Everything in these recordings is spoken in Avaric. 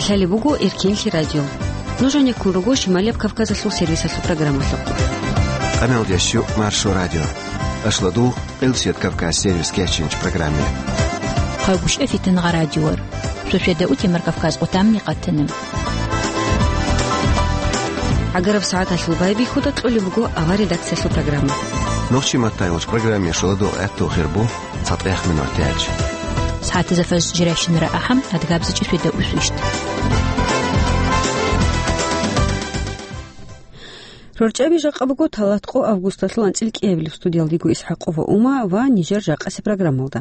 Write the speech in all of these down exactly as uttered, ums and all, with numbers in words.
Лъалеб буго Эркенлъи радио. Нуж гьанеккун руго Шималияб Кавказалъул сервисалъул программалъухъ. Къаналдеш Маршо радио. Ашладу, Къилсият Кавказ сервис кечинч программе. Хъагушев Фитнагъа радиор. Суседа утемар Кавказ отамни къатанам. ГӀагараб сагӀаталъул байбихьуда кьолеб буго авар редакциялъул программа. Нохчи маттайгъуч программе шоладу гӀатту хирбу. ЦатӀех минут тяч. СагӀатизафас жирайщинара ахӀам, адгабзичӀи светда усвищ. РорчӀаби жакъа буго талатӀкъо августалъул анцӀил кӀиабилеб. Студиялдего ИсхӀакъова Ума ва нижер жакъасе программалда.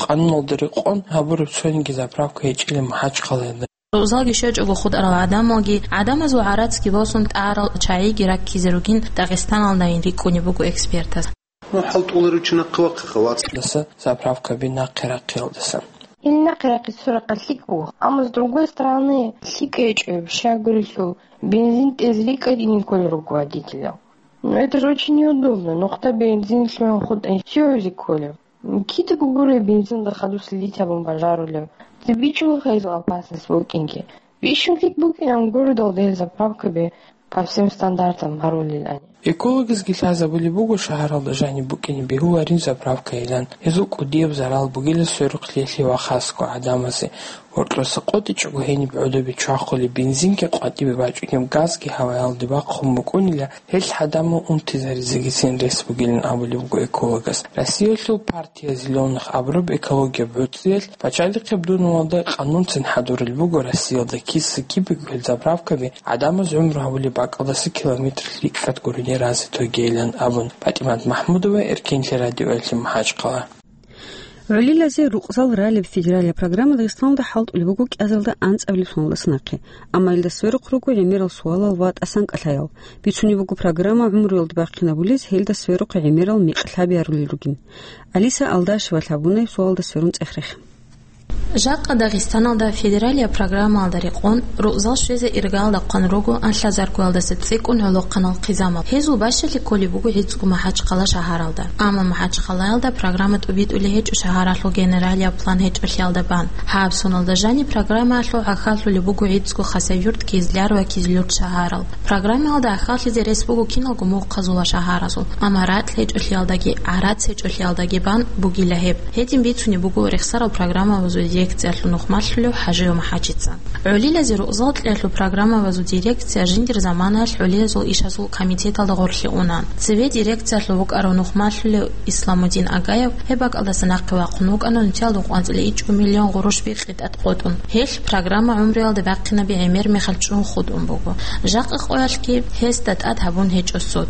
Къануналда рекъон гьабураб цониги заправка гьечӀила МахӀачхъалаялда. Рузалги щвечӀого хутӀарал гӀадамалги, гӀадамазул гӀарацги босун тӀарал чагӀиги раккизе ругин Дагъистаналдайин рикӀкӀунеб буго экспертаз. Ну, хӀалтӀуларев чи нахъе вахъа халац. Даса заправкаби нахъе рахъиялдаса. Ил нахъе рахъи сурахъа лъикӀ буго, амма с другой стороны лъикӀ гьечӀо, щай гурелъул бензин тӀезе рикӀкӀадине кколел руго водителял. Ну, это же очень неудобно. Нухда бензин лъугӀун хутӀа, все узи кколев. Кидаго гуреб бензинда хадуслъи литабун бажарулев. Цебе бичӀчӀула гьезул опасность букӀинги. Бищун лъикӀ букӀинан гуродал дел заправкаби по всем стандартам гьарулилани. Экологизги лъазабулеб буго шагьаралда жаниб букӀине бегьуларин заправкайилан. Гьезул кӀудияб зарал бугила сверухълъи лъи ва хасго гӀадамазе. Гьоркьоса къотӀичӀого гьениб гӀодобе чвахулеб бензинги къватӀибе бачӀунеб газги гьаваялде бахъун букӀунила, гьел гӀадамал унтизаризегицин рес бугилан абулеб буго экологас. Россиялъул партия «Зелёных» абураб экологияб гӀуцӀиялъ пачалихъеб дунулалда къанунцин хӀадурулеб буго Россиялда киса-кибего гьел заправкаби гӀадамаз гӀумру гьабулеб бакӀалдаса километр лъикӀкӀад гурони разе тогейилан абун. ПатӀимат МахӀмудова, Эркенлъи радиоялъе, МахӀачхъала. ГӀолилазе рукъзал ралеб федералияб программа Дагъистаналда хӀалтӀулеб буго кӀиазалда анцӀабилеб соналдаса нахъе, амма илда сверухъ руго гӀемерал суалал ва тӀасан кӀалъаял. Бицунеб буго программа гӀумруялда бахъинабулез, гьелда сверухъ гӀемерал микьлъаби гьарулел ругин. Алиса Алдашева лъабунай суалда сверун цӀех-рех. Жакъа Дагъистаналда федералияб программалда рекъон рукъзал щвезе иргалда хъван руго анлъазаргоялдаса цӀикӀкӀун гӀолохъанал хъизамал. Гьезул бащалъи кколеб буго гӀицӀго МахӀачхъала шагьаралда. Амма МахӀачхъалаялда программа тӀубитӀулей гьечӀо шагьаралъул генералияб план гьечӀолъиялда бан. Гьаб соналда жаниб программаялъул гӀахьаллъулеб буго гӀицӀго Хасавюрт, Кизляр ва Кизлюрт шагьарал. Программаялда гӀахьаллъизе рес буго киналго мухъазул ва шагьаразул, амма ракь гьечӀолъиялдаги гӀарац гьечӀолъиялдаги бан бугила гьеб. Гьедин бицунеб буго рехсарал программабазул дирекциялъул нухмалъулев ХӀажиев МахӀачица. ГӀолилазе рукъзал кьеялъул программабазул дирекция жиндир заманаялъ гӀолиязул ишазул комитеталда гъорлъе уна. Цеве дирекциялъул вукӀарав нухмалъулев Исламудин Агаев гьеб бакӀалдаса нахъе вахъун вукӀана нуцӀиялда къванцӀила ичӀго миллион гъурущ бикьи тӀад къотӀун. Гьелъ программа гӀумруялда бахъинаби гӀемер мехалъ чӀун хутӀун буго. Жакъа къоялъги гьесда тӀад гьабун гьечӀо суд.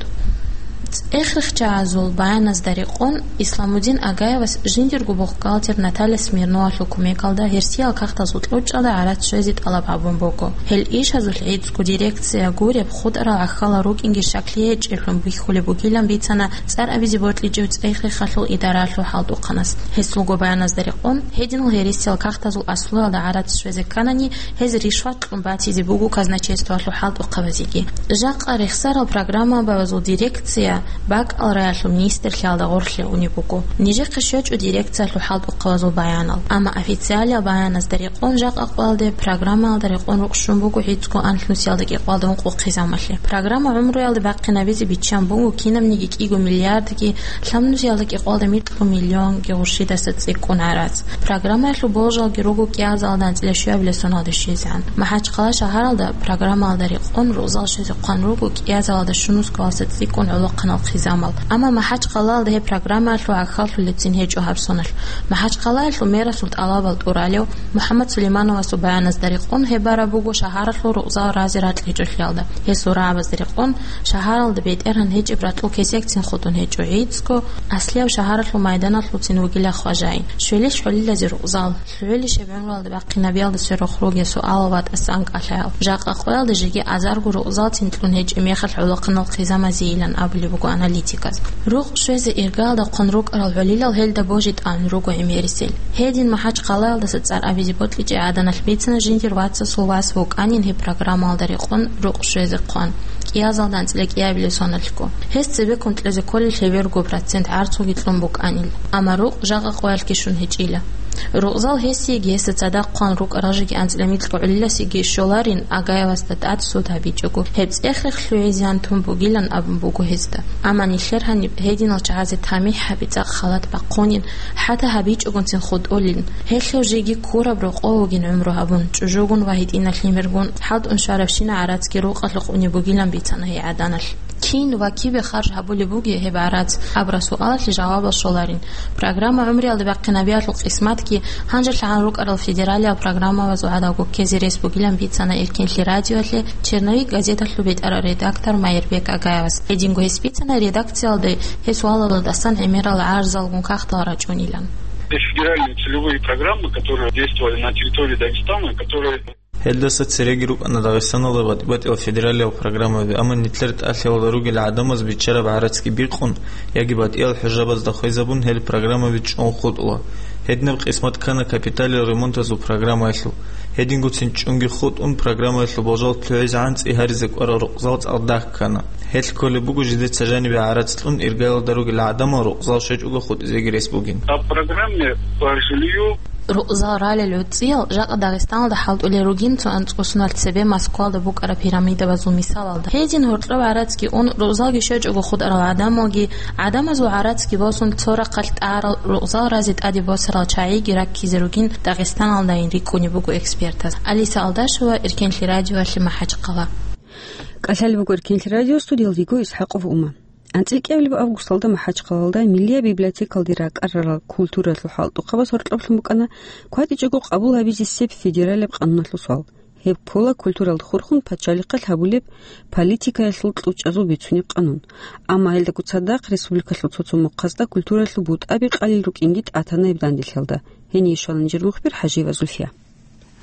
ЦӀехрехчагӀазул баяназда рекъон, Исламудин Агаевас жиндирго бухгалтер Наталья Смирновалъул кумекалда гьерсиял кагътазул кьучӀалда гӀарац щвезе тӀалаб гьабун буго. Гьел ишазулъ гӀицӀго дирекция гуреб, хутӀарал гӀахьалал рукӀинги щаклъи гьечӀеблъун бихьулеб бугилан бицана цӀар абизе бокьичӀев цӀехрехалъул идаралъул хӀалтӀухъанас. Гьесулго баяназда рекъон, гьединал гьересиял кагътазул аслуялда гӀарац щвезе кканани, гьез ришват кьун батизе буго казначействоялъул хӀалтӀухъабазеги. Жакъа рехсарал программабазул дирекция бакӀал раялъул министрлъиялда гъорлъе унеб буго. Нижехъе щвечӀо дирекциялъул хӀалтӀухъабазул баянал. Амма официалиял баяназда рекъон, жакъа къоялде программаялда рекъон рукъ щун буго гӀицӀго анлънусиялда кӀикъоялда ункъо хъизамалъе. Программа гӀумруялда бахъинабизе биччан буго кинабниги кӀиго миллиардги лъабнусиялда кӀикъоялда микьго миллионги гъурщидаса цӀикӀкӀун гӀарац. Программаялъул болжалги руго кӀиазалда анцӀила щуябилеб соналда щвезегӀан. МахӀачхъала шагьаралда программаялда рекъон рузал щвезе хъван руго кӀиазалда щунусгоялдаса цӀикӀкӀун гӀолохъанал хъизамал. Амма МахӀачхъалаялда гьеб программаялъул гӀахьаллъулебцин гьечӀо гьаб соналъ. МахӀачхъалаялъул мерасул тӀалабал тӀуралев МухӀаммад Сулеймановасул баяназда рекъон гьеб бараб буго шагьаралъул рузал разе ракьичӀолъиялда. Гьесул рагӀабазда рекъон шагьаралда бетӀергьан гьечӀеб ракьул кесекцин хутӀун гьечӀо гӀицӀго, аслияб шагьаралъул майданалъулцин вугила хважаин. Щвелищ гӀолилазе рузал. ЛъугӀулищ гьеб гӀумруялда бахъинабиялда сверухъ ругел суалал ва тӀасан кӀалъаял? Жакъа къоялда жеги азарго рузалцин кьун гьечӀеб мехалъ гӀолохъанал хъизамазе йилан абулеб буго аналитиказ. Рукъ щвезе иргаялда хъван рукӀарал гӀолилал гьелда божи тӀамун руго гӀемерисел. Гьедин МахӀачхъалаялдаса цӀар абизе бокьичӀеб гӀаданалъ бицана жиндир вацасул вас вукӀанин гьеб программаялда рекъон рукъ щвезе хъван, кӀиазалда анцӀила кӀиабилеб соналъго. Гьес цебеккун кьезе кколел гьеберго процент гӀарцуги кьун букӀанил. Амма рукъ жакъа къоялъги щун гьечӀила. Рукъзал гьесиеги гьесда цадахъ хъван рукӀарал жеги анцӀила микьго гӀолиласеги щоларин Агаевасда тӀад суд гьабичӀого, гьеб цӀех-рех лъугӀизеян тун бугилан абун буго гьезда. Амма нилъер гьаниб гьединал чагӀазе тамихӀ гьаби цӀакъ халат бахъунин, хӀатта гьабичӀогунцин хутӀулин. Гьелъул жеги ккураб рокъов вугин гӀумру гьабун, чӀужугун ва гьитӀинал лъимергун, хӀалтӀун щварабщина гӀарацги рукъалъухъ унеб бугилан бицана гьей гӀаданалъ. Кин ва кибе харж гьабулеб бугеб гьеб гӀарац? Абураб суалалъе жавабал щоларин. Программа гӀумруялда бахъинабиялъул къисматги гьанжелъагӀан рукӀарал федералиял программабазул гӀадаб гуккезе рес бугилан бицана Эркенлъи радиоялъе «Черновик» газеталъул бетӀерав редактор Майирбек Агаевас. Гьединго гьес бицана редакциялда гьес валалдасан гӀемерал гӀарзалгун кагътал рачӀунилан. Федеральные целевые программы, которые действовали на территории Дагестана, которые Гьелдаса цереги рукӀана Дагъистаналда батӀи-батӀиял федералиял программаби, амма нилъер тӀалъиялда ругел гӀадамаз биччараб гӀарацги бикъун яги батӀиял хӀужабазда хвезабун гьел программаби чӀун хутӀула. Гьединаб къисмат ккана капиталил ремонтазул программаялъул. Гьедингоцин чӀунги хутӀун программаялъул болжал лъугӀизегӀан цӀи гьаризе кӀварал рукъзал цӀакъ дагь ккана. Гьелъ кколеб буго жидеца жанибе гӀарац кьун иргаялда ругел гӀадамал рукъзал щвечӀого хутӀизеги рес бугин. По программе по жилью Рукъзал ралел гӀуцӀиял жакъа Дагъистаналда хӀалтӀулел ругин цо анцӀго соналъ цебе Москвалда букӀараб пирамидабазул мисалалда. Гьедин гьоркьоб гӀарацги ун, рукъзалги щвечӀого хутӀарал гӀадамалги, гӀадамазул гӀарацги босун, цо рахъалъ тӀарал, рукъзал разе тӀаде босарал чагӀиги раккизе ругин Дагъистаналдайин рикӀкӀунеб буго экспертаз. Алиса Алдашева, Эркенлъи радиоялъе, МахӀачхъала. КӀалъалеб буго Эркенлъи радио, студиялда йиго ИсхӀакъов Ума. АнцӀила кӀиабилеб августалда МахӀачхъалалда Миллияб библиотекалде ракӀарарал культураялъул хӀалтӀухъабаз гьоркьоблъун букӀана кватӀичӀого къабул гьабизе сеп федералияб къануналъул суал. Гьеб ккола культуралда хурхун пачалихъалъ гьабулеб политикаялъул кьучӀазул бицунеб къанун. Амма гьелдаго цадахъ республикалъул цо-цо мухъазда культураялъул бутӀаби къалел рукӀинги тӀатана гьеб данделъиялда. Гьение щвана нижер мухбир ХӀажиева Зульфия.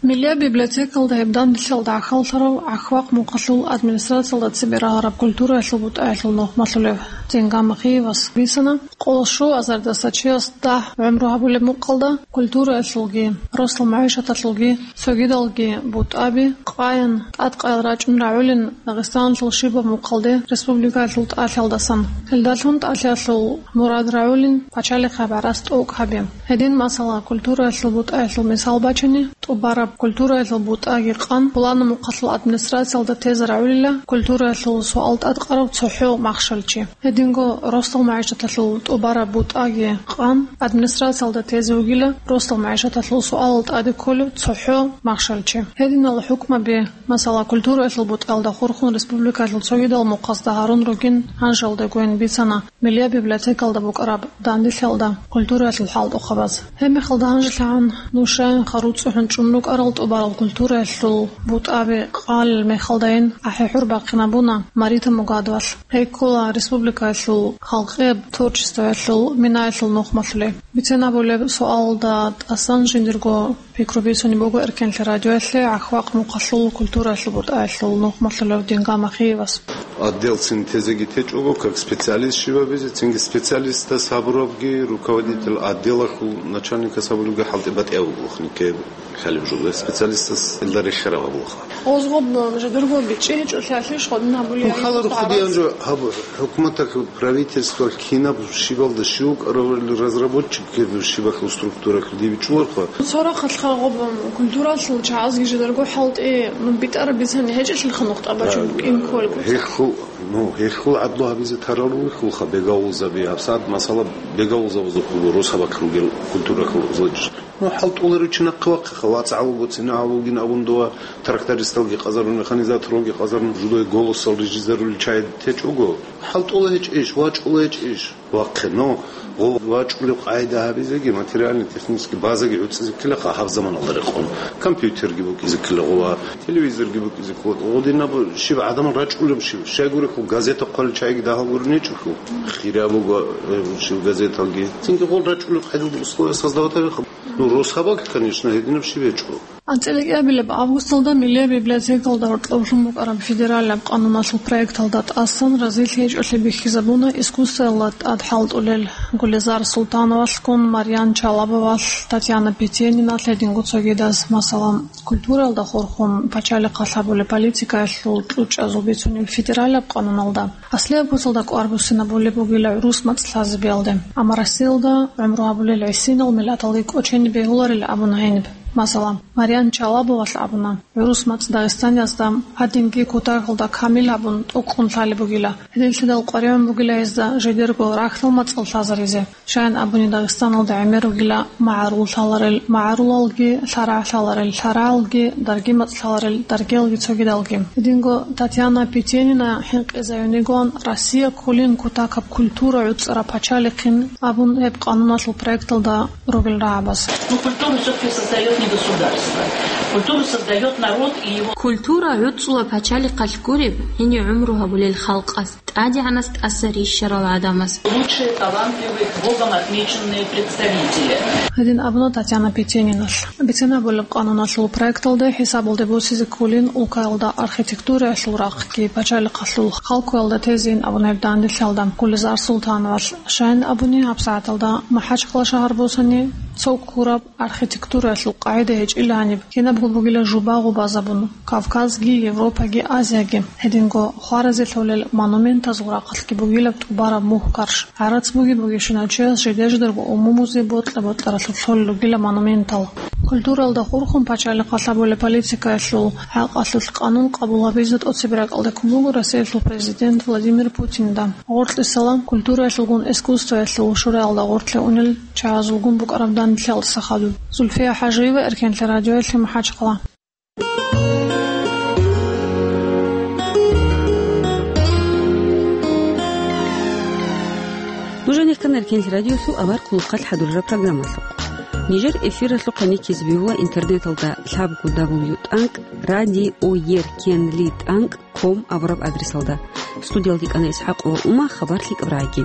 Миллияб библиотекалда гьеб данделъиялда гӀахьаллъарав Ахвакъ мухъалъул администрациялда цебе рагьараб культураялъул бутӀаялъул нухмалъулев Дингам Ахиевас бицана, къоло щуазардаса чияс дагь гӀумру гьабулеб мухъалда культураялъулги, росдал магӀишаталъулги цогидалги бутӀаби къаян тӀадкъаял рачӀун рагӀулин Дагъистаналъул щибаб мухъалде республикаялъул тӀалъиялдасан. Гьелдалъун тӀалъиялъул мурад рагӀулин пачалихъ гьаб гӀарац тӀокӀ гьаби. Гьедин, масала, культураялъул бутӀаялъул мисал бачани, тӀубараб культураялъул бутӀаги къан, пуланаб мухъалъул администрациялда тезе рагӀулила культураялъул суал тӀадкъарав цохӀо махщел чи. Гьединго росдал магӀишаталъул тӀубараб бутӀаги къан, администрациялда тезе вугила росдал магӀишаталъул суалал тӀаде кколев цохӀо махщел чи. Гьединал хӀукмаби, масала, культураялъул бутӀаялда хурхун республикаялъул цогидал мухъазда гьарун ругин гьанжалдегойин бицана Миллияб библиотекалда букӀараб данделъиялда культураялъул хӀалтӀухъабаз. Гьебмехалда гьанжелъагӀан нушаянха руцӀцӀухӀун чӀун рукӀарал тӀубарал культураялъул бутӀаби къалел мехалдайин ахӀи-хӀур бахъинабуна Марита Мугадовалъ. Гьей ккола республикаялъул халкъияб творчествоялъул минаялъул нухмалъулей. Бицен абулеб суалалда тӀасан жиндирго пикру бицунеб буго Эркенлъи радиоялъе Ахвакъ мухъалъул культураялъул бутӀаялъул нухмалъулев Дингам Ахиевас. Отделцин тезеги течӀого, как специалист щибабизе, цинги специалистас гьабурабги, руководитель отделалъул начальникас гьабулебги хӀалтӀи батӀияб бугохъни ккеб хӀалеб жугьу специалистас илда рехераб гьабулаха. Озгъоб жидерго бичӀчӀи гьечӀолъиялъе шкодин гьабулеб. Ну, халарухъ дигӀан жо гьаб-, хӀукуматалъул, правительствоялъ кинаб щибалда щив вукӀаравали разработчик ккеб щибалъул структуралъул дибичӀуларха. Цо рахъалъха гъоб культуралъул чагӀазги жидерго хӀалтӀи, ну, битӀараб бицани гьечӀелъилха нухтӀа бачун букӀин кколго. Гьелъул, ну, гьелъул гӀадлу гьабизе тарал ругелха бегавулзаби, гьабсагӀат масала бегавулзабазухъ буго росабалъ ругел культуралъул зодиш. Ну, хӀалтӀуларев чи нахъе вахъиха, вацгӀал вуго, цинагӀал вугин абун дова, трактористалги къазарун, механизаторалги къазарун, жудой «Голосал» рижизарулел чагӀи течӀого. ХӀалтӀула гьечӀищ, вачӀула гьечӀищ? Вахъе, ну, гъо-, вачӀулеб къайда гьабизеги, материально-технический базаги гӀуцӀизе ккелаха гьаб заманалда рекъон. Компьютерги букӀизе ккела гъова, телевизорги букӀизе ккела. Гъодинаб щиб гӀадамал рачӀулеб щиб? Щайгурехъо газета хъвалел чагӀиги дагьал гури нечӀехъо. Хираб буго, э, щиб газеталги. Цинги гъол рачӀулеб къайдалда условия создавать гьабиха. Ну, росабалъ, конечно, гьединаб щиб гьечӀо. АнцӀила кӀиабилеб августалда Миллияб библиотекалда гьоркьоблъун букӀараб федералияб къануналъул проекталда тӀасан разилъи гьечӀолъи бихьизабуна искусствоялда тӀад хӀалтӀулел Гулизар Султановалъгун, Марьян Чалабовалъ, Татьяна Петениналъ гьединго цогидаз, масала, культураялда хурхун пачалихъалъ гьабулеб политикаялъул кьучӀазул бицунеб федералияб къануналда аслияб куцалда кӀвар буссинабулеб бугила гӀурус мацӀ лъазабиялде. Амма Россиялда гӀумру гьабулел гӀисинал миллаталги кӀочениб бегьуларил абуна гьениб. Масала, Марьян Чалабовалъ абуна, гӀурус мацӀ Дагъистаниязда гьадинги кутакалда камил гьабун тӀокӀкӀун лъалеб бугила. Гьединлъидал къваригӀун бугила гьезда жидерго рахьдал мацӀал лъазаризе. Щайин абуни, Дагъистаналда гӀемер ругила магӀарул лъаларел магӀарулалги, лъарагӀ лъаларел лъарагӀалги, дарги мацӀ лъаларел даргиялги цогидалги. Гьединго Татьяна Петенина хӀинкъизаюнигоан Россия кколин кутакаб культура гӀуцӀараб пачалихъин абун гьеб къануналъул проекталда ругел рагӀабаз. Ну, культуру всё-таки создает не государство. Культуру создает народ и его Культура гӀуцӀула пачалихъалъ гуреб, гьенив гӀумру гьабулел халкъас, тӀадегӀанас тӀаса рищарал гӀадамас. Лучшие талантливые Богом отмеченные представители. Гьедин абуна Татьяна Петениналъ. Бицен гьабулеб къануналъул проекталда хӀисабалде босизе кколин улкаялда архитектураялъул рахъги, пачалихъалъул халкуялда тезейин абуна гьеб данделъалда Гулизар Султановалъ. Щайин абуни, гьабсагӀаталда МахӀачхъала шагьар босани, цо ккураб архитектураялъул къагӀида гьечӀила гьаниб, кинабго бугила жуба гъубазабун, Кавказги, Европаги, Азияги. Гьединго хваразе лъолел монументазул рахъалъги бугилаб тӀубараб мухь-карш. ГӀарац буги-бугищинав чияс жидер-жидерго умумузе бокьа-бокьаралъур лъолел ругила монументал. Культуралда хурхун пачалихъалъ гьабулеб политикаялъул хӀакъалъулъ къанун къабул гьабизе тӀоцебе ракӀалде ккун буго Россиялъул президент Владимир Путинда. Гъоркьисала культураялъулгун искусствоялъул шураялда гъоркье унел чагӀазулгун букӀараб данделъиялдаса хадуб. Зульфия ХӀажиева, Эркенлъи радиоялъе, МахӀачхъала. Нуж гьанир ккана Эркенлъи радиоялъул авар хъулухъалъ хӀадурараб программалъухъ. Нижер эфиралъухъ гьаниккизе бегьула интернеталда лъабго дабл ю тӀанкӀ радиоеркенлъи тӀанкӀ ком абураб адресалда. Студиялде кӀана ИсхӀакъ ва Ума, хабар лъикӀаб рагӀаги.